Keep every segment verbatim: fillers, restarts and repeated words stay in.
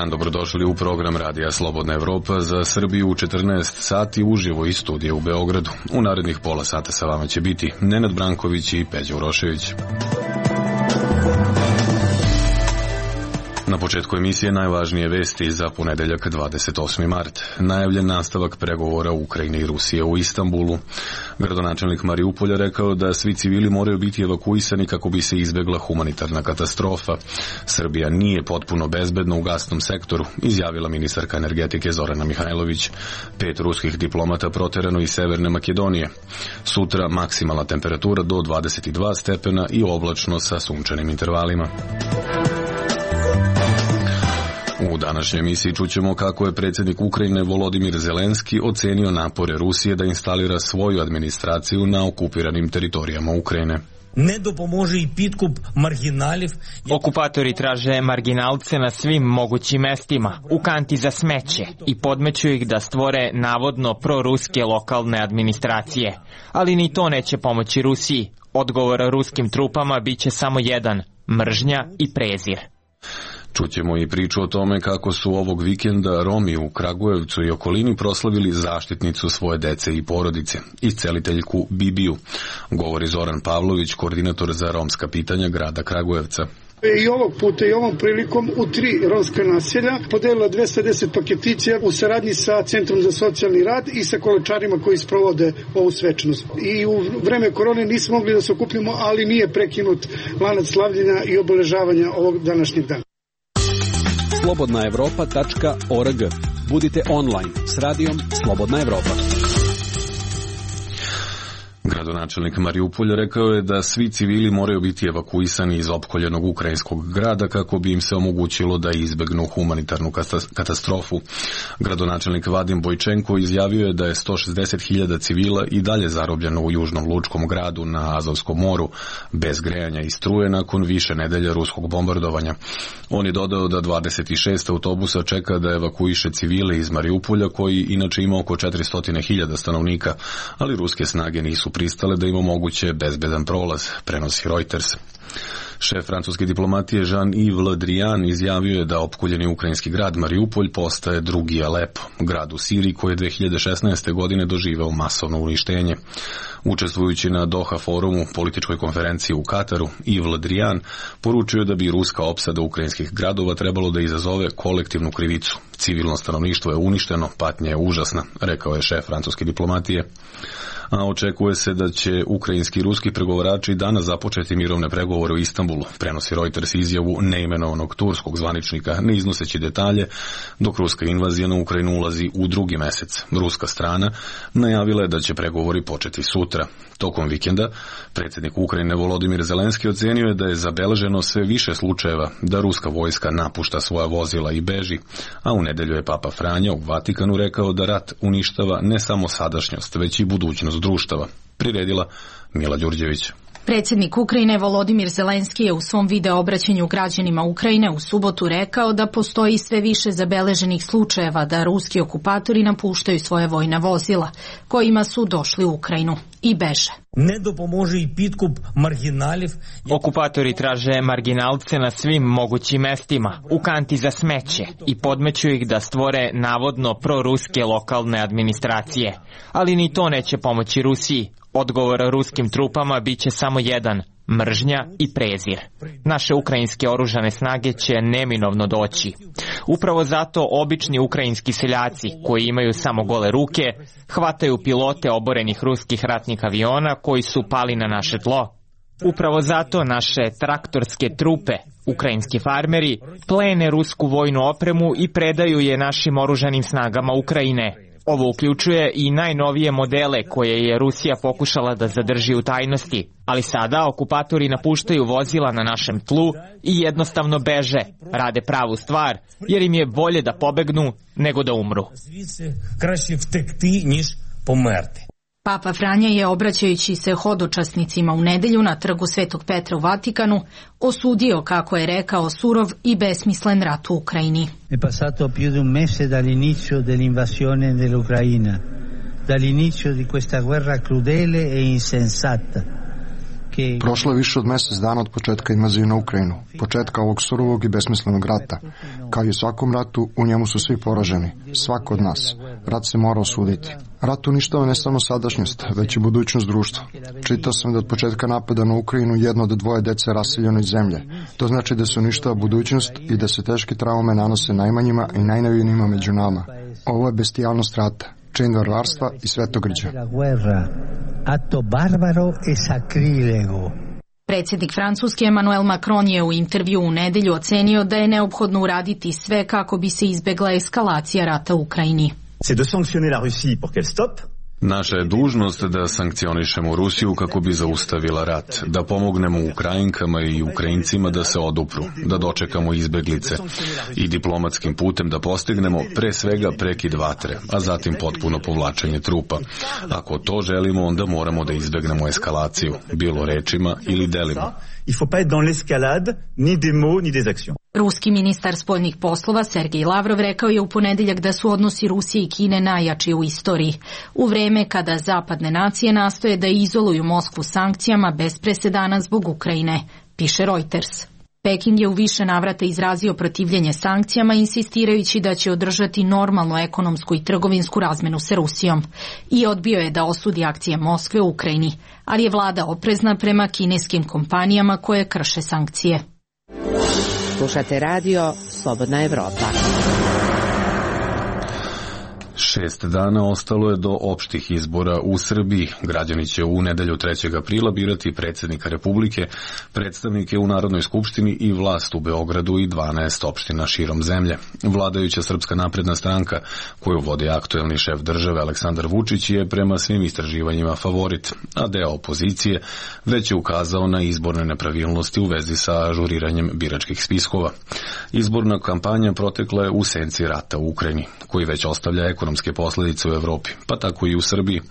Dobrodošli u program Radija Slobodna Evropa za Srbiju u četrnaest sati uživo iz studija u Beogradu. U narednih pola sata sa vama će biti Nenad Branković i Peđa Urošević. Na početku emisije najvažnije vesti za ponedeljak dvadeset osmi mart. Najavljen nastavak pregovora Ukrajine i Rusije u Istanbulu. Gradonačelnik Mariupolja rekao da svi civili moraju biti evakuisani kako bi se izbegla humanitarna katastrofa. Srbija nije potpuno bezbedna u gasnom sektoru, izjavila ministarka energetike Zorana Mihajlović. Pet ruskih diplomata proterano iz Severne Makedonije. Sutra maksimalna temperatura do dvadeset dva stepena i oblačno sa sunčanim intervalima. U današnjoj emisiji čućemo kako je predsjednik Ukrajine Volodimir Zelenski ocenio napore Rusije da instalira svoju administraciju na okupiranim teritorijama Ukrajine. Ne dopomože i pitkup marginalів. Okupatori traže marginalce na svim mogućim mestima, u kanti za smeće, i podmeću ih da stvore navodno proruske lokalne administracije. Ali ni to neće pomoći Rusiji. Odgovor ruskim trupama biće samo jedan, mržnja i prezir. Čućemo i priču o tome kako su ovog vikenda Romi u Kragujevcu i okolini proslavili zaštitnicu svoje dece i porodice, isceliteljku Bibiju, govori Zoran Pavlović, koordinator za romska pitanja grada Kragujevca. I ovog puta i ovom prilikom u tri romska naselja podelila dvesta deset paketića u saradnji sa Centrom za socijalni rad i sa kolečarima koji sprovode ovu svečanost. I u vreme korone nismo mogli da se okupimo, ali nije prekinut lanac slavljenja i obeležavanja ovog današnjeg dana. slobodna evropa tačka org. Budite online s radijom Slobodna Evropa. Gradonačelnik Mariupolja rekao je da svi civili moraju biti evakuisani iz opkoljenog ukrajinskog grada kako bi im se omogućilo da izbegnu humanitarnu katastrofu. Gradonačelnik Vadim Bojčenko izjavio je da je sto šezdeset hiljada civila i dalje zarobljeno u južnom lučkom gradu na Azovskom moru, bez grejanja i struje nakon više nedelja ruskog bombardovanja. On je dodao da dvadeset šest autobusa čeka da evakuiše civile iz Mariupolja, koji inače ima oko četiristo hiljada stanovnika, ali ruske snage nisu pristale da im omoguće bezbedan prolaz, prenosi Reuters. Šef francuske diplomatije Jean-Yves Le Drian izjavio je da opkoljeni ukrajinski grad Mariupolj postaje drugi Alepo, grad u Siriji koji je dve hiljade šesnaeste. godine doživeo masovno uništenje. Učestvujući na Doha forumu, političkoj konferenciji u Kataru, Yves Le Drian poručio da bi ruska opsada ukrajinskih gradova trebalo da izazove kolektivnu krivicu. Civilno stanovništvo je uništeno, patnja je užasna, rekao je šef francuske diplomatije. A očekuje se da će ukrajinski i ruski pregovarači danas započeti mirovne pregovore u Istanbulu, prenosi Reuters izjavu neimenovanog turskog zvaničnika, ne iznoseći detalje, dok ruska invazija na Ukrajinu ulazi u drugi mesec. Ruska strana najavila je da će pregovori početi sutra. Tokom vikenda predsjednik Ukrajine Volodimir Zelenski ocenio je da je zabeleženo sve više slučajeva da ruska vojska napušta svoja vozila i beži, a u nedelju je Papa Franja u Vatikanu rekao da rat uništava ne samo sadašnjost, već i budućnost društava, priredila Mila Đurđević. Predsjednik Ukrajine Volodimir Zelenski je u svom video obraćanju građanima Ukrajine u subotu rekao da postoji sve više zabeleženih slučajeva da ruski okupatori napuštaju svoje vojna vozila, kojima su došli u Ukrajinu i beže. Ne dopomože i pitkup marginalів. Okupatori traže marginalce na svim mogućim mestima, u kanti za smeće, i podmeću ih da stvore navodno proruske lokalne administracije. Ali ni to neće pomoći Rusiji. Odgovor ruskim trupama biće samo jedan, mržnja i prezir. Naše ukrajinske oružane snage će neminovno doći. Upravo zato obični ukrajinski seljaci, koji imaju samo gole ruke, hvataju pilote oborenih ruskih ratnih aviona koji su pali na naše tlo. Upravo zato naše traktorske trupe, ukrajinski farmeri, plene rusku vojnu opremu i predaju je našim oružanim snagama Ukrajine. Ovo uključuje i najnovije modele koje je Rusija pokušala da zadrži u tajnosti, ali sada okupatori napuštaju vozila na našem tlu i jednostavno beže, rade pravu stvar, jer im je bolje da pobegnu nego da umru. Papa Franja je, obraćajući se hodočasnicima u nedelju na trgu Svetog Petra u Vatikanu, osudio, kako je rekao, surov i besmislen rat u Ukrajini. È passato più di un mese dall'inizio dell'invasione dell'Ucraina. dall'inizio di questa guerra crudele e insensata. Prošlo je više od mjesec dana od početka invazije na Ukrajinu, početka ovog surovog i besmislenog rata. Kao i u svakom ratu, u njemu su svi poraženi, svako od nas. Rat se mora osuditi. Rat uništava ne samo sadašnjost, već i budućnost društva. Čitao sam da od početka napada na Ukrajinu jedno od dvoje dece raseljeno iz zemlje. To znači da se uništava budućnost i da se teške traume nanose najmanjima i najnevinijima među nama. Ovo je bestijalnost rata, čin varvarstva i svetogrđa. Atto barbaro e sacrilego. Predsjednik Francuske Emmanuel Macron je u intervju u nedelju ocenio da je neophodno uraditi sve kako bi se izbegla eskalacija rata u Ukrajini. C'est de sanctionner la Russie pour qu'elle stoppe. Naša je dužnost da sankcionišemo Rusiju kako bi zaustavila rat, da pomognemo Ukrajinkama i Ukrajincima da se odupru, da dočekamo izbeglice i diplomatskim putem da postignemo pre svega prekid vatre, a zatim potpuno povlačenje trupa. Ako to želimo, onda moramo da izbegnemo eskalaciju, bilo rečima ili delima. Il faut pas être dans l'escalade, ni des mots, ni des actions. Ruski ministar spoljnih poslova Sergej Lavrov rekao je u ponedeljak da su odnosi Rusije i Kine najjači u istoriji, u vreme kada zapadne nacije nastoje da izoluju Moskvu sankcijama bez presedana zbog Ukrajine, piše Reuters. Peking je u više navrata izrazio protivljenje sankcijama, insistirajući da će održati normalnu ekonomsku i trgovinsku razmenu sa Rusijom i odbio je da osudi akcije Moskve u Ukrajini, ali je vlada oprezna prema kineskim kompanijama koje krše sankcije. Slušate radio Slobodna Evropa. Šest dana ostalo je do opštih izbora u Srbiji. Građani će u nedelju trećeg aprila birati predsjednika Republike, predstavnike u Narodnoj skupštini i vlast u Beogradu i dvanaest opština širom zemlje. Vladajuća Srpska napredna stranka, koju vodi aktuelni šef države Aleksandar Vučić, je prema svim istraživanjima favorit, a deo opozicije već je ukazao na izborne nepravilnosti u vezi sa ažuriranjem biračkih spiskova. Izborna kampanja protekla je u senci rata u Ukrajini, koji već ostavlja ekonomske posledice u Evropi, pa tako i u Srbiji.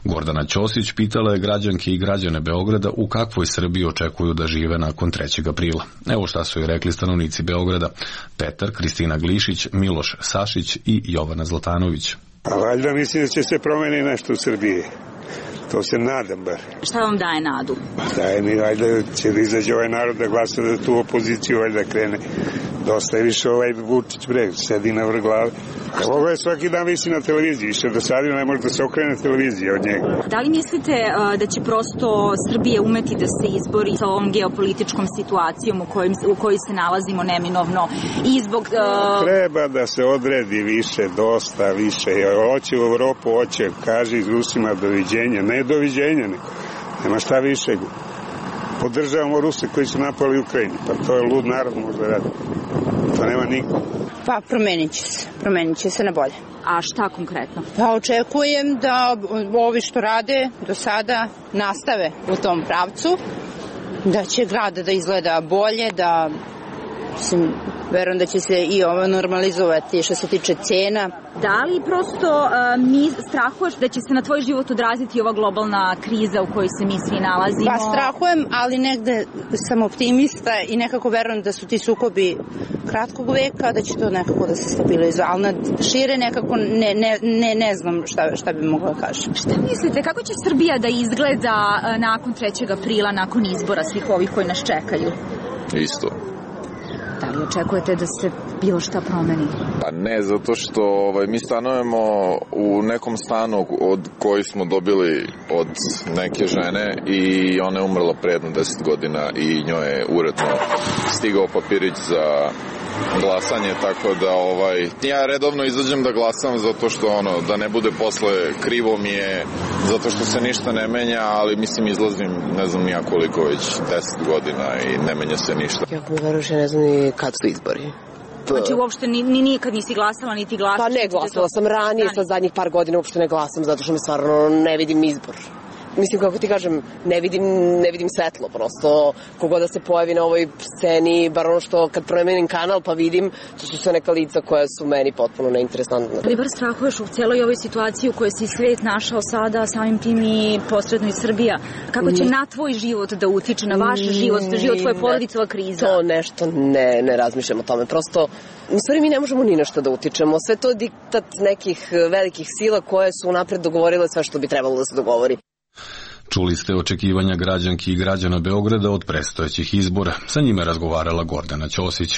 Gordana Ćosić pitala je građanke i građane Beograda u kakvoj Srbiji očekuju da žive nakon trećeg aprila. Evo šta su joj rekli stanovnici Beograda: Petar, Kristina Glišić, Miloš Sašić i Jovana Zlatanović. A valjda mislim da će se promeni nešto u Srbiji. To se nadam bar. Šta vam daje nadu? Daje mi, valjda će da izađe ovaj narod da glasa da tu opoziciju valjda krene. Dosta je više ovaj Vučić breg, sedi na vrh glave. Ovo je svaki dan visi na televiziji, više do sada ne može da se okrene televizija od njega. Da li mislite uh, da će prosto Srbija umeti da se izbori sa ovom geopolitičkom situacijom u, kojim, u kojoj se nalazimo neminovno i zbog... Uh... Treba da se odredi više, dosta više. Hoće u Evropu, hoće, kaže iz Rusima doviđenja, ne doviđenja, ne. Nema šta više. Podržavamo Ruse koji su napali Ukrajini, pa to je lud narod možda radi. To nema niko. Pa promenit će se, promenit će se na bolje. A šta konkretno? Pa očekujem da ovi što rade do sada nastave u tom pravcu, da će grad da izgleda bolje, da mislim, verujem da će se i ovo normalizovati što se tiče cena. Da li prosto uh, mi strahuješ da će se na tvoj život odraziti ova globalna kriza u kojoj se mi svi nalazimo? Pa strahujem, ali negde sam optimista i nekako verujem da su ti sukobi kratkog veka, da će to nekako da se stabilizuje, ali na šire nekako ne, ne, ne, ne znam šta, šta bi mogla da kažem. Šta mislite, kako će Srbija da izgleda uh, nakon trećeg aprila, nakon izbora svih ovih koji nas čekaju? Isto. Da li očekujete da se bilo šta promeni? Pa ne, zato što ovaj, mi stanujemo u nekom stanu od koji smo dobili od neke žene i ona je umrla pre jedno deset godina i njoj je uredno stigao papirić za glasanje, tako da ovaj, ja redovno izađem da glasam zato što ono, da ne bude posle krivo mi je, zato što se ništa ne menja, ali mislim izlazim ne znam nija koliko već deset godina i ne menja se ništa. Ja verujem, ne znam ni kad su izbori. Znači uopšte ni, ni nikad nisi glasala, niti glasaš? Pa ne, glasala sam ranije, sad zadnjih par godina uopšte ne glasam, zato što mi stvarno ne vidim izbor. mislim, kako ti kažem, ne vidim, ne vidim svetlo, prosto, kogod da se pojavi na ovoj sceni, bar ono što kad promenim kanal pa vidim, to su sve neka lica koja su meni potpuno neinteresantna. Ali bar strahuješ u cijeloj ovoj situaciji u kojoj si svet našao sada, samim tim i posredno i Srbija. Kako će na tvoj život da utiče, na vaš život, život tvoje porodice, ova kriza? To nešto ne, ne razmišljam o tome, prosto, u stvari mi ne možemo ni nešto da utičemo, sve to je diktat nekih velikih sila koje su napred dogovorile sve što bi trebalo da se dogovori. Čuli ste očekivanja građanki i građana Beograda od predstojećih izbora. Sa njime razgovarala Gordana Ćosić.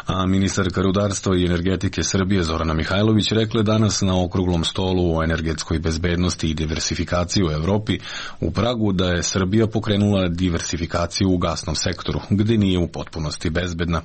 A ministarka rudarstva i energetike Srbije Zorana Mihajlović rekla danas na okruglom stolu o energetskoj bezbednosti i diversifikaciji u Evropi u Pragu da je Srbija pokrenula diversifikaciju u gasnom sektoru, gde nije u potpunosti bezbedna.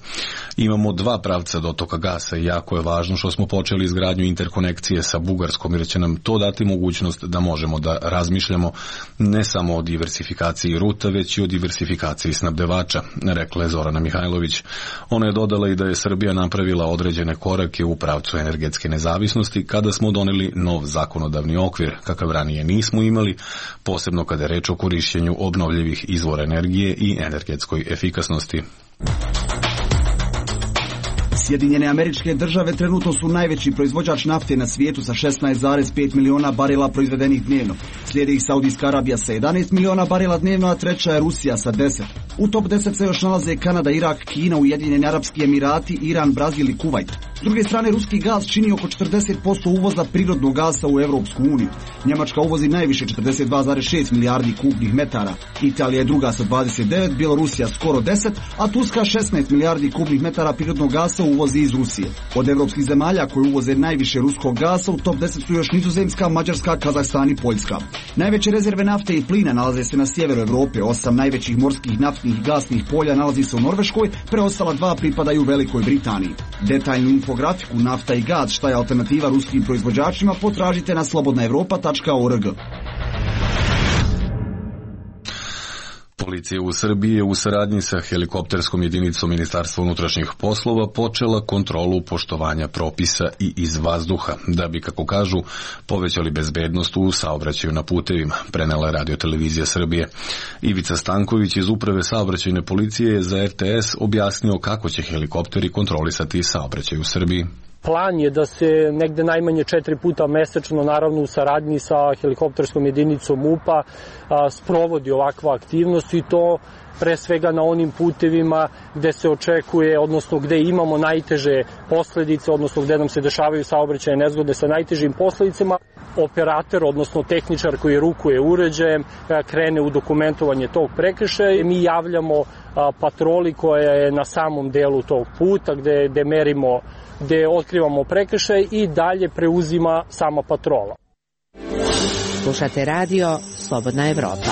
Imamo dva pravca dotoka gasa i jako je važno što smo počeli izgradnju interkonekcije sa Bugarskom, jer će nam to dati mogućnost da možemo da razmišljamo ne samo o diversifikaciji ruta, već i o diversifikaciji snabdevača, rekla je Zorana Mihajlović. Ona je dodala i da je Srbija napravila određene korake u pravcu energetske nezavisnosti kada smo doneli nov zakonodavni okvir, kakav ranije nismo imali, posebno kada je reč o korišćenju obnovljivih izvora energije i energetskoj efikasnosti. Sjedinjene Američke Države trenutno su najveći proizvođač nafte na svijetu sa šesnaest zarez pet miliona barela proizvedenih dnevno. Slijedi ih Saudijska Arabija sa jedanaest miliona barela dnevno, a treća je Rusija sa deset. U top deset se još nalaze Kanada, Irak, Kina, Ujedinjeni Arapski Emirati, Iran, Brazil i Kuvajt. S druge strane, ruski gas čini oko četrdeset posto uvoza prirodnog gasa u Evropsku uniju. Njemačka uvozi najviše četrdeset dva zarez šest milijardi kubnih metara. Italija je druga sa dvadeset devet, Bjelorusija skoro deset, a Turska šesnaest milijardi kubnih metara prirodnog gasa uvozi iz Rusije. Od evropskih zemalja koje uvoze najviše ruskog gasa u top deset su još Nizozemska, Mađarska, Kazahstan i Poljska. Najveće rezerve nafte i plina nalaze se na sjeveru Evrope, osam najvećih morskih naftnih i gasnih polja nalazi se u Norveškoj, preostala dva pripadaju Velikoj Britaniji. Detaljnu infografiku nafta i gas, šta je alternativa ruskim proizvođačima, potražite na slobodna evropa tačka org. Policija u Srbiji je u saradnji sa helikopterskom jedinicom Ministarstva unutrašnjih poslova počela kontrolu poštovanja propisa i iz vazduha, da bi, kako kažu, povećali bezbednost u saobraćaju na putevima, prenela je Radio Televizija Srbije. Ivica Stanković iz Uprave saobraćajne policije je za er te es objasnio kako će helikopteri kontrolisati saobraćaj u Srbiji. Plan je da se negde najmanje četiri puta mesečno, naravno u saradnji sa helikopterskom jedinicom M U P-a, sprovodi ovakva aktivnost i to pre svega na onim putevima gde se očekuje, odnosno gde imamo najteže posledice, odnosno gde nam se dešavaju saobraćajne nezgode sa najtežim posledicama. Operator, odnosno tehničar koji rukuje uređajem, krene u dokumentovanje tog prekršaja. Mi javljamo patroli koja je na samom delu tog puta gde, gde merimo, gde otkrivamo prekršaj i dalje preuzima sama patrola. Slušate radio Slobodna Evropa.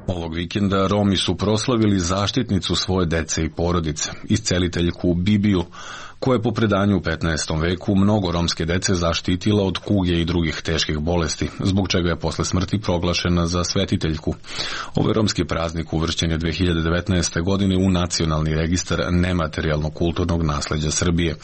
Ovog vikenda Romi su proslavili zaštitnicu svoje dece i porodice, isceliteljku Bibiju, koja je po predanju u petnaestom veku mnogo romske dece zaštitila od kuge i drugih teških bolesti, zbog čega je posle smrti proglašena za svetiteljku. Ovaj romski praznik uvršćen je dve hiljade devetnaeste. godine u Nacionalni registar nematerijalnog kulturnog nasleđa Srbije.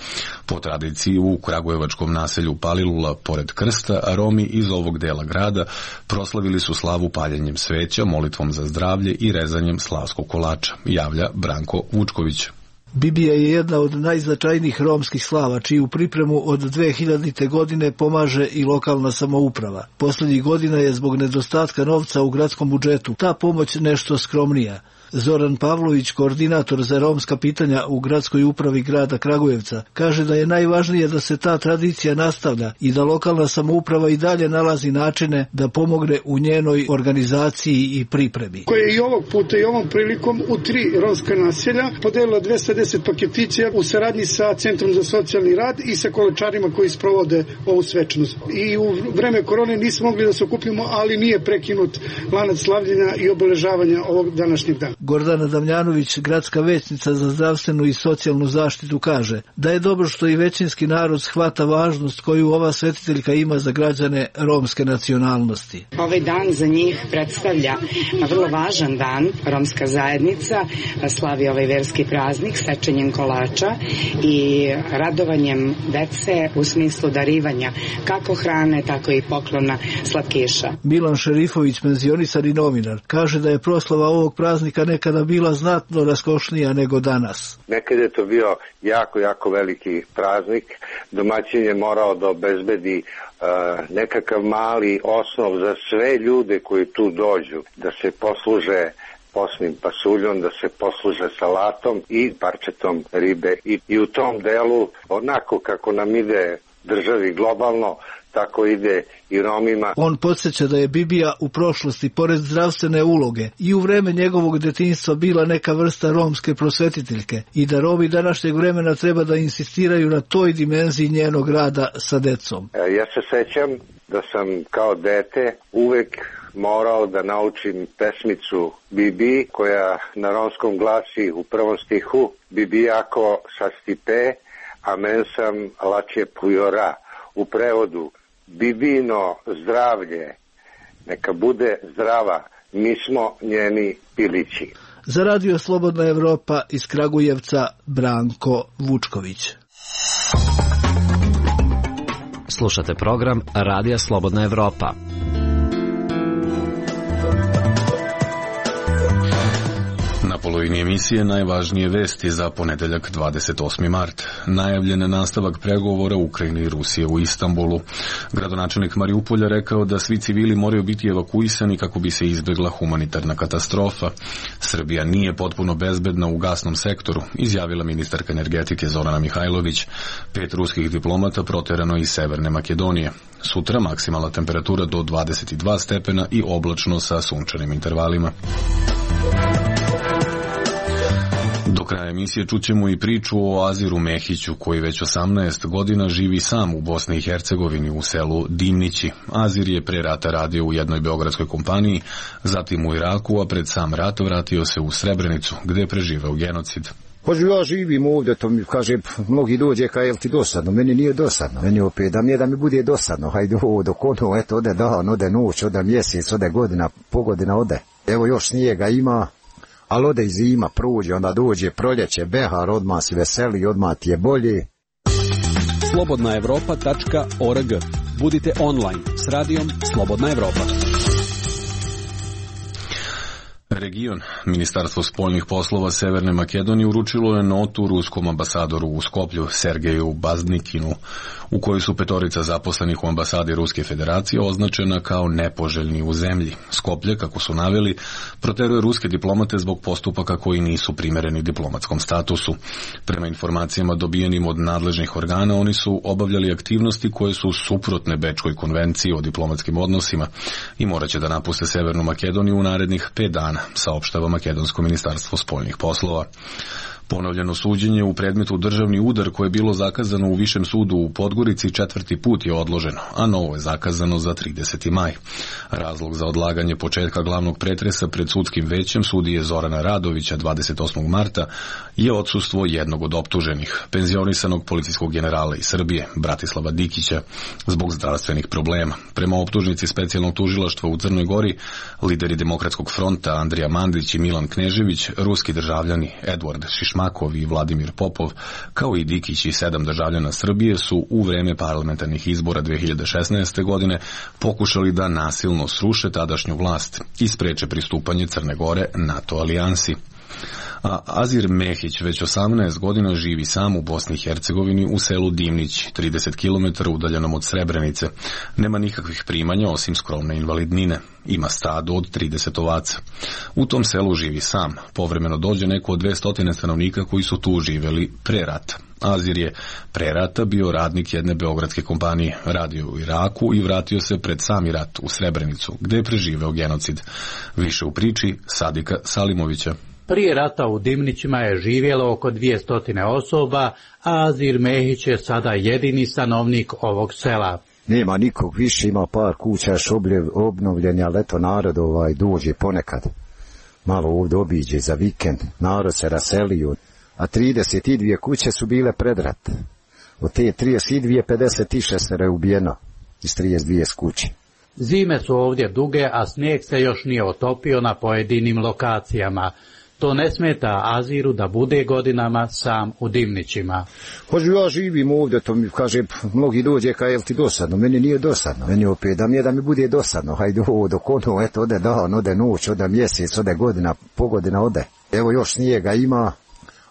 Po tradiciji u kragujevačkom naselju Palilula, pored krsta, a Romi iz ovog dela grada proslavili su slavu paljenjem sveća, molitvom za zdravlje i rezanjem slavskog kolača, javlja Branko Vučković. Bibija je jedna od najznačajnijih romskih slava, čiju pripremu od dve hiljadite. godine pomaže i lokalna samouprava. Poslednjih godina je zbog nedostatka novca u gradskom budžetu ta pomoć nešto skromnija. Zoran Pavlović, koordinator za romska pitanja u gradskoj upravi grada Kragujevca, kaže da je najvažnije da se ta tradicija nastavlja i da lokalna samouprava i dalje nalazi načine da pomogne u njenoj organizaciji i pripremi. Koja je i ovog puta i ovom prilikom u tri romska naselja podelila dvesta deset paketića u saradnji sa Centrom za socijalni rad i sa kolečarima koji sprovode ovu svečanost. I u vreme korone nismo mogli da se okupimo, ali nije prekinut lanac slavljenja i obeležavanja ovog današnjeg dana. Gordana Damljanović, gradska većnica za zdravstvenu i socijalnu zaštitu, kaže da je dobro što i većinski narod shvata važnost koju ova svetiteljka ima za građane romske nacionalnosti. Ovaj dan za njih predstavlja vrlo važan dan. Romska zajednica slavi ovaj verski praznik sečenjem kolača i radovanjem dece u smislu darivanja kako hrane, tako i poklona slatkiša. Milan Šerifović, penzionisani novinar, kaže da je proslava ovog praznika nekada bila znatno raskošnija nego danas. Nekada je to bio jako, jako veliki praznik. Domaćin je morao da obezbedi uh, nekakav mali osnov za sve ljude koji tu dođu, da se posluže posnim pasuljom, da se posluže salatom i parčetom ribe. I, i u tom delu, onako kako nam ide državi globalno, tako ide i Romima. On podsjeća da je Bibija u prošlosti, pored zdravstvene uloge, i u vreme njegovog detinjstva bila neka vrsta romske prosvetiteljke i da Romi današnjeg vremena treba da insistiraju na toj dimenziji njenog rada sa decom. Ja se sećam da sam kao dete uvek morao da naučim pesmicu Bibi, koja na romskom glasi u prvom stihu: Bibijako sastipe, a men sam lače pujora. U prevodu: Bibino zdravlje, neka bude zdrava, mi smo njeni pilići. Za Radio Slobodna Evropa iz Kragujevca, Branko Vučković. Slušate program Radija Slobodna Evropa. Na polovini emisije najvažnije vesti za ponedeljak dvadeset osmi mart. Najavljen je nastavak pregovora Ukrajine i Rusije u Istanbulu. Gradonačelnik Mariupolja rekao da svi civili moraju biti evakuisani kako bi se izbjegla humanitarna katastrofa. Srbija nije potpuno bezbedna u gasnom sektoru, izjavila ministarka energetike Zorana Mihajlović. Pet ruskih diplomata proterano iz Severne Makedonije. Sutra maksimalna temperatura do dvadeset dva stepena i oblačno sa sunčanim intervalima. Do kraja emisije čućemo i priču o Aziru Mehiću, koji već osamnaest godina živi sam u Bosni i Hercegovini u selu Dimnići. Azir je pre rata radio u jednoj beogradskoj kompaniji, zatim u Iraku, a pred sam rat vratio se u Srebrenicu, gde je preživeo genocid. Hoću ja živim ovdje, to mi kaže, mnogi dođe kaj, jel ti dosadno? Meni nije dosadno, meni opet, da mi je da mi bude dosadno, hajde ovo dok ono, eto, ode dan, ode noć, ode mjesec, ode godina, pogodina ode. Evo još snijega ima, ali ode i zima, prođe, onda dođe proljeće, behar, odmah si veseli, odmah ti je bolje. slobodna evropa tačka org. Budite online s radijom Slobodna Evropa. Region. Ministarstvo spoljnih poslova Severne Makedonije uručilo je notu ruskom ambasadoru u Skoplju Sergeju Baznikinu, u kojoj su petorica zaposlenih u ambasadi Ruske federacije označena kao nepoželjni u zemlji. Skoplje, kako su naveli, proteruje ruske diplomate zbog postupaka koji nisu primereni diplomatskom statusu. Prema informacijama dobijenim od nadležnih organa, oni su obavljali aktivnosti koje su suprotne Bečkoj konvenciji o diplomatskim odnosima i moraće da napuste Severnu Makedoniju u narednih pet dana, saopštava Makedonsko ministarstvo spoljnih poslova. Ponovljeno suđenje u predmetu državni udar koje je bilo zakazano u Višem sudu u Podgorici četvrti put je odloženo, a novo je zakazano za trideseti maj. Razlog za odlaganje početka glavnog pretresa pred sudskim većem sudije Zorana Radovića dvadeset osmog marta je odsustvo jednog od optuženih, penzionisanog policijskog generala iz Srbije, Bratislava Dikića, zbog zdravstvenih problema. Prema optužnici specijalnog tužilaštva u Crnoj Gori, lideri Demokratskog fronta Andrija Mandić i Milan Knežević, ruski državljani Edward Šišmakov i Vladimir Popov, kao i Dikić i sedam državljana Srbije su u vreme parlamentarnih izbora dve hiljade šesnaeste. godine pokušali da nasilno sruše tadašnju vlast i spreče pristupanje Crne Gore NATO alijansi. A Azir Mehić već osamnaest godina živi sam u Bosni i Hercegovini u selu Dimnić, trideset kilometara udaljenom od Srebrenice. Nema nikakvih primanja osim skromne invalidnine. Ima stado od trideset ovaca. U tom selu živi sam. Povremeno dođe neko od dvesta stanovnika koji su tu živeli pre rata. Azir je pre rata bio radnik jedne beogradske kompanije, radio u Iraku i vratio se pred sami rat u Srebrenicu, gde je preživeo genocid. Više u priči Sadika Salimovića. Prije rata u Dimnićima je živjelo oko dvjesto osoba, a Azir Mehić je sada jedini stanovnik ovog sela. Nema nikog više, ima par kuća još obnovljenja, ali eto narod ovaj dođe ponekad. malo ovdje obiđe za vikend, narod se raselio, a trideset dvije kuće su bile pred rat. Od te trideset dvije, pedeset šest je ubijeno iz trideset dvije kuće. Zime su ovdje duge, a snijeg se još nije otopio na pojedinim lokacijama. To ne smeta Aziru da bude godinama sam u Dimnićima. Hoću ja živim ovdje, to mi kaže, mnogi dođe kaj je li ti dosadno, meni nije dosadno, meni opet da mi je da mi bude dosadno, hajde ovo dok ono, eto, ode dan, ode noć, ode mjesec, ode godina, pogodina ode. Evo još snijega ima,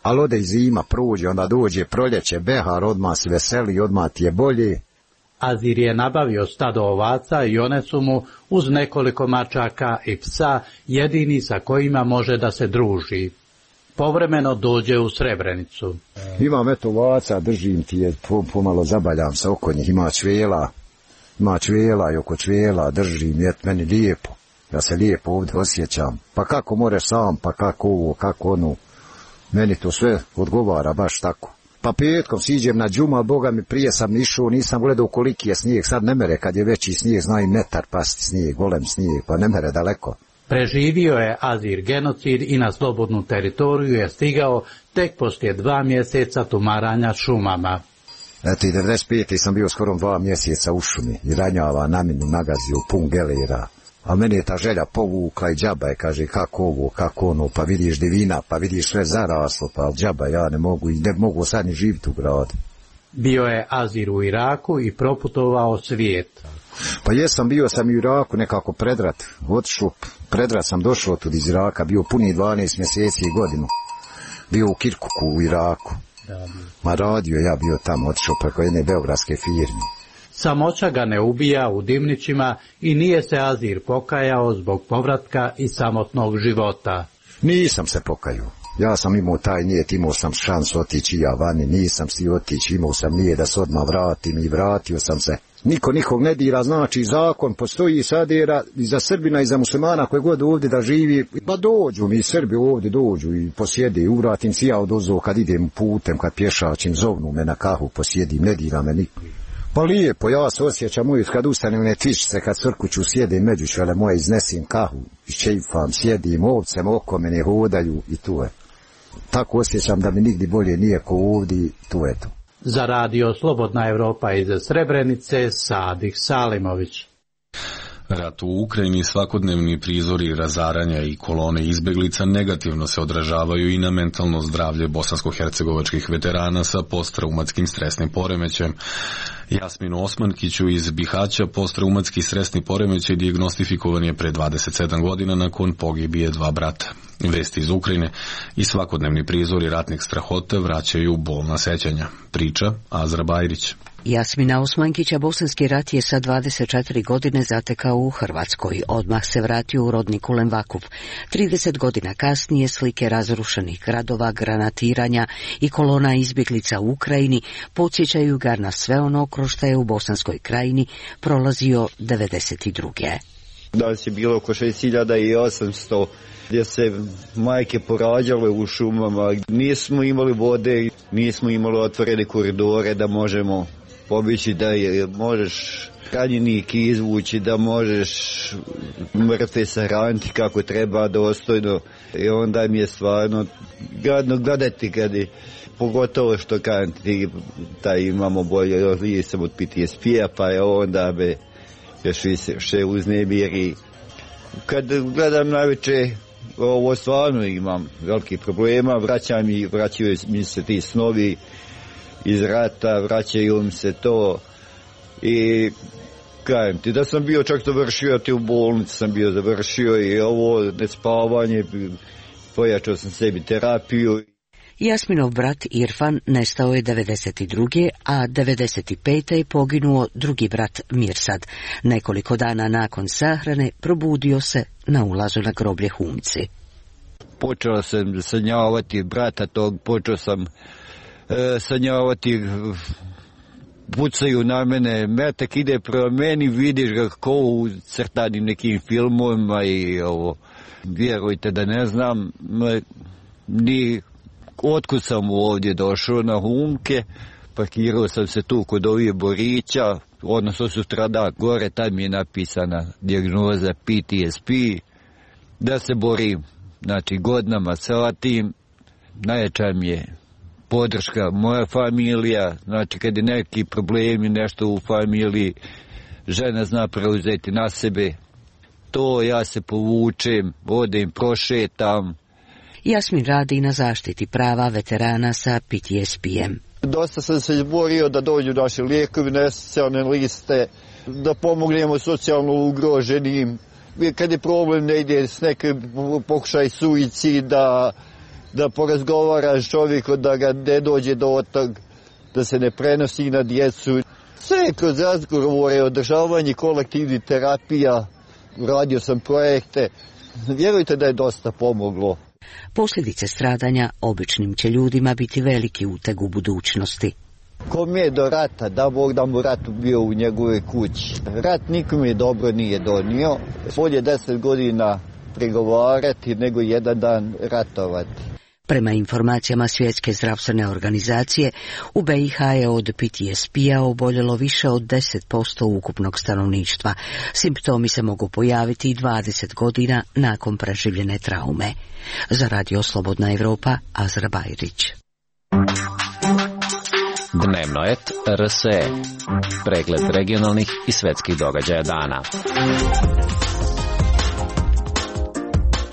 ali ode i zima, prođe, onda dođe proljeće, behar, odmah se veseli, odmah ti je bolje. Azir je nabavio stado ovaca i one su mu, uz nekoliko mačaka i psa, jedini sa kojima može da se druži. Povremeno dođe u Srebrenicu. Imam eto ovaca, držim ti je, pomalo zabaljam se oko njih, ima čvela, ima čvela i oko čvela držim, je meni lijepo, ja se lijepo ovdje osjećam. Pa kako moreš sam, pa kako ovo, kako ono, meni to sve odgovara baš tako. Pa petkom siđem na džuma, Boga mi prije sam išao, nisam gledao koliki je snijeg, sad ne mere kad je veći snijeg, zna i metar pasti snijeg, golem snijeg, pa ne mere daleko. Preživio je Azir genocid i na slobodnu teritoriju je stigao tek poslije dva mjeseca tumaranja šumama. Eto i devedeset pete sam bio skoro dva mjeseca u šumi i ranjava na minu nagazio pun gelera. A meni je ta želja povukla i džaba je, kaže, kako ovo, kako ono, pa vidiš divina, pa vidiš sve zaraslo, pa džaba ja ne mogu i ne mogu sad ni živjeti u gradu. Bio je Azir u Iraku i proputovao svijet. Pa jesam, bio sam u Iraku nekako predrat, otišao, predrat sam došao tu iz Iraka, bio puni dvanaest mjeseci i godinu. Bio u Kirkuku u Iraku. Ma radio ja bio tamo, otišao preko jedne beogradske firme. Samoća ga ne ubija u Dimnićima i nije se Azir pokajao zbog povratka i samotnog života. Nisam se pokajao. Ja sam imao taj nijet, imao sam šansu otići ja vani, nisam si otići, imao sam nije da se odmah vratim i vratio sam se. Niko nikog ne dira, znači zakon postoji sad i za Srbina i za muslimana koje god ovdje da živi. Pa dođu mi Srbi ovdje, dođu i posjede, uvratim si ja odozo kad idem putem, kad pješačim, zovnu me na kahu, posjedim, ne dira me niko. Pa lijepo, ja se osjećam uvijek kad ustanem ne tvičice, kad crkuću sjedim među čvele moje, iznesim kahu, iščeifam, sjedim, ovcem oko mene hodaju i tu je. Tako osjećam da mi nigdje bolje nije ko ovdje, tu je to. Za radio Slobodna Evropa iz Srebrenice, Sadih Salimović. Rat u Ukrajini, svakodnevni prizori razaranja i kolone izbeglica negativno se odražavaju i na mentalno zdravlje bosansko-hercegovačkih veterana sa posttraumatskim stresnim poremećajem. Jasminu Osmankiću iz Bihaća posttraumatski stresni poremećaj dijagnostifikovan je pre dvadeset sedam godina nakon pogibije dva brata. Vesti iz Ukrajine i svakodnevni prizori ratnih strahota vraćaju bolna sećanja. Priča Azra Bajrić. Jasmina Osmankića bosanski rat je sa dvadeset četiri godine zatekao u Hrvatskoj. Odmah se vratio u rodni Kulen Vakuf. trideset godina kasnije slike razrušenih gradova, granatiranja i kolona izbjeglica u Ukrajini podsjećaju ga na sve ono kroz što je u Bosanskoj krajini prolazio devedeset druge. Danas je bilo oko šest hiljada osamsto gdje se majke porađale u šumama. Nismo imali vode, nismo imali otvorene koridore da možemo pobići, da je, možeš ranjenik izvući, da možeš mrtve sahraniti kako treba dostojno. I onda mi je stvarno gadno gledati kad je, pogotovo što kažem ti, taj imamo bolje, lije sam od P T S P-a, pa je onda be još više uznemiri. Kad gledam najveće, ovo stvarno imam veliki problema, vraćam i vraćaju mi se ti snovi iz rata, vraćaju mi se to i kajem ti da sam bio čak završio, ti u bolnici sam bio završio i ovo nespavanje, pojačao sam sebi terapiju. Jasminov brat Irfan nestao je devedeset druge, a devedeset pete je poginuo drugi brat Mirsad. Nekoliko dana nakon sahrane probudio se na ulazu na groblje Humci. Počeo sam sanjavati brata tog, počeo sam e, sanjavati, pucaju na mene, metak ide prema meni, vidiš ga ko u crtanim nekim filmovima i ovo, vjerujte da ne znam, ni otkud sam ovdje došao na Humke, parkirao sam se tu kod ovih Borića, odnosno sutradan gore, tam je napisana dijagnoza P T S P, da se borim, znači godinama sa tim, najjača mi je podrška moja familija, znači kad je neki problemi, nešto u familiji, žena zna preuzeti na sebe, to ja se povučem, odem, prošetam. Jasmin radi na zaštiti prava veterana sa P T S P-em. Dosta sam se izborio da dođu naše lijekovi na socijalne liste, da pomognemo socijalno ugroženim. Kad je problem ne ide s nekim pokušaj suicida, da porazgovaraš čovjeku da ga ne dođe do tog, da se ne prenosi na djecu. Sve kroz razgovore, održavanje kolektivnih terapija, radio sam projekte. Vjerujte da je dosta pomoglo. Posljedice stradanja običnim će ljudima biti veliki uteg u budućnosti. Kom je do rata, da Bog da mu rat bio u njegove kući. Rat nikome dobro nije donio. Bolje deset godina pregovarati nego jedan dan ratovati. Prema informacijama Svjetske zdravstvene organizacije, u B i H je od P T S P-a oboljelo više od deset posto ukupnog stanovništva. Simptomi se mogu pojaviti i dvadeset godina nakon preživljene traume. Za Radio Slobodna Evropa, Azra Bajrić. Dnevnoet R S E. Pregled regionalnih i svetskih događaja dana.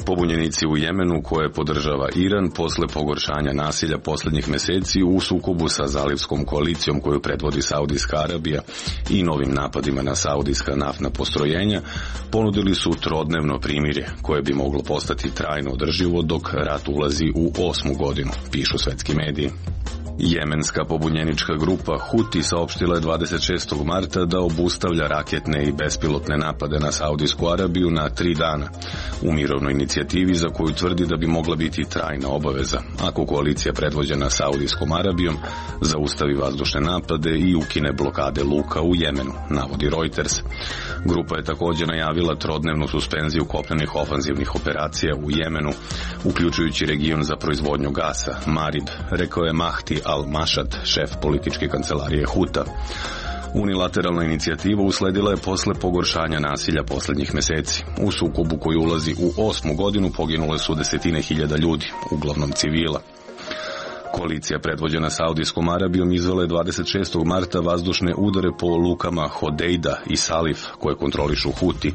Pobunjenici u Jemenu koje podržava Iran posle pogoršanja nasilja posljednjih mjeseci u sukobu sa zalivskom koalicijom koju predvodi Saudijska Arabija i novim napadima na saudijska naftna postrojenja ponudili su trodnevno primirje koje bi moglo postati trajno održivo dok rat ulazi u osmu godinu, pišu svetski mediji. Jemenska pobunjenička grupa Huti saopštila je dvadeset šestog marta da obustavlja raketne i bespilotne napade na Saudijsku Arabiju na tri dana u mirovnoj inicijativi za koju tvrdi da bi mogla biti trajna obaveza ako koalicija predvođena Saudijskom Arabijom zaustavi vazdušne napade i ukine blokade luka u Jemenu, navodi Reuters. Grupa je također najavila trodnevnu suspenziju kopnenih ofanzivnih operacija u Jemenu, uključujući region za proizvodnju gasa, Marib, rekao je Mahdi Al-Mashad, šef političke kancelarije Huta. Unilateralna inicijativa usledila je posle pogoršanja nasilja posljednjih mjeseci. U sukobu koji ulazi u osmu godinu poginule su desetine hiljada ljudi, uglavnom civila. Koalicija predvođena Saudijskom Arabijom izvela je dvadeset šestog marta vazdušne udare po lukama Hodejda i Salif koje kontrolišu Huti.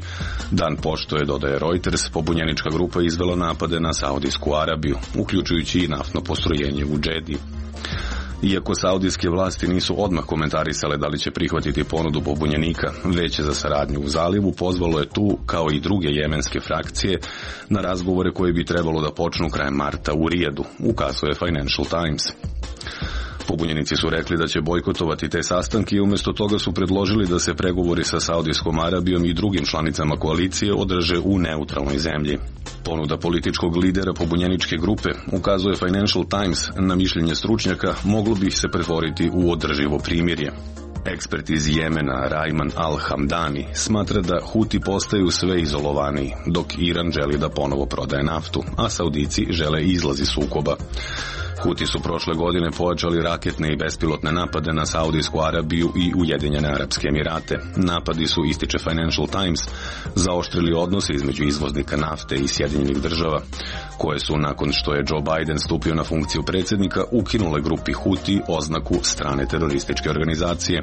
Dan pošto je, dodaje Reuters, pobunjenička grupa izvela napade na Saudijsku Arabiju, uključujući i naftno postrojenje u Džedi. Iako saudijske vlasti nisu odmah komentarisale da li će prihvatiti ponudu pobunjenika, Veće za saradnju u zalivu pozvalo je tu, kao i druge jemenske frakcije, na razgovore koje bi trebalo da počnu krajem marta u Rijadu, ukazuje Financial Times. Pobunjenici su rekli da će bojkotovati te sastanke i umjesto toga su predložili da se pregovori sa Saudijskom Arabijom i drugim članicama koalicije održe u neutralnoj zemlji. Ponuda političkog lidera pobunjeničke grupe, ukazuje Financial Times, na mišljenje stručnjaka, moglo bi se pretvoriti u održivo primirje. Ekspert iz Jemena Rajman Al-Hamdani smatra da Huti postaju sve izolovaniji, dok Iran želi da ponovo prodaje naftu, a Saudici žele izlazi sukoba. Huti su prošle godine pojačali raketne i bespilotne napade na Saudijsku Arabiju i Ujedinjene Arapske Emirate. Napadi su, ističe Financial Times, zaoštrili odnose između izvoznika nafte i Sjedinjenih država, koje su, nakon što je Joe Biden stupio na funkciju predsjednika, ukinule grupi Huti oznaku strane terorističke organizacije.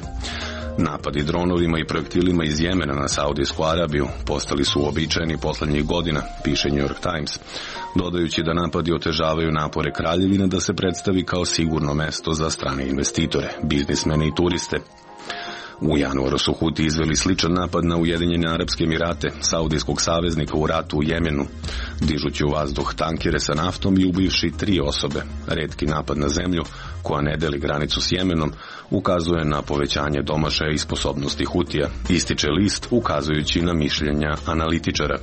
Napadi dronovima i projektilima iz Jemena na Saudijsku Arabiju postali su uobičajeni posljednjih godina, piše New York Times, dodajući da napadi otežavaju napore kraljevine da se predstavi kao sigurno mesto za strane investitore, biznismene i turiste. U januaru su Huti izveli sličan napad na Ujedinjene Arapske Emirate, saudijskog saveznika u ratu u Jemenu, dižući u vazduh tankere sa naftom i ubivši tri osobe. Retki napad na zemlju, koja ne deli granicu s Jemenom, ukazuje na povećanje domašaja i sposobnosti Hutija, ističe list ukazujući na mišljenja analitičara.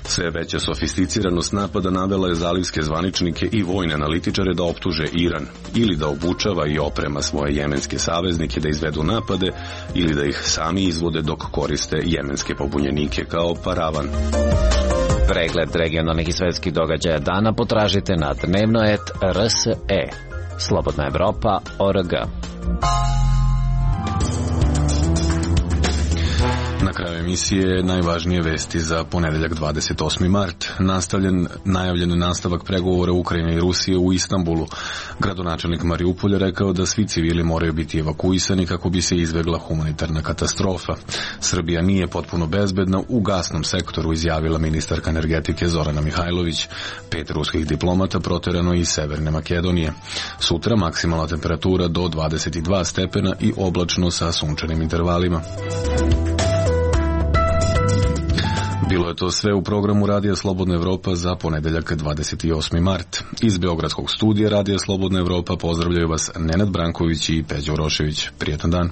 Sve veća sofisticiranost napada navela je zalivske zvaničnike i vojne analitičare da optuže Iran ili da obučava i oprema svoje jemenske saveznike da izvedu napade ili da ih sami izvode dok koriste jemenske pobunjenike kao paravan. Pregled regionalnih i svetskih događaja dana potražite na dnevnoet R S E. Slobodna Evropa, O R G. Na kraju emisije najvažnije vesti za ponedeljak dvadeset osmi mart. Nastavljen, najavljen nastavak pregovora Ukrajine i Rusije u Istanbulu. Gradonačelnik Mariupolja rekao da svi civili moraju biti evakuisani kako bi se izbegla humanitarna katastrofa. Srbija nije potpuno bezbedna u gasnom sektoru, izjavila ministarka energetike Zorana Mihajlović. Pet ruskih diplomata proterano iz Severne Makedonije. Sutra maksimalna temperatura do dvadeset dva stepena i oblačno sa sunčanim intervalima. Bilo je to sve u programu Radija Slobodna Evropa za ponedeljak dvadeset osmi mart. Iz Beogradskog studija Radija Slobodna Evropa pozdravljaju vas Nenad Branković i Peđa Urošević. Prijetan dan.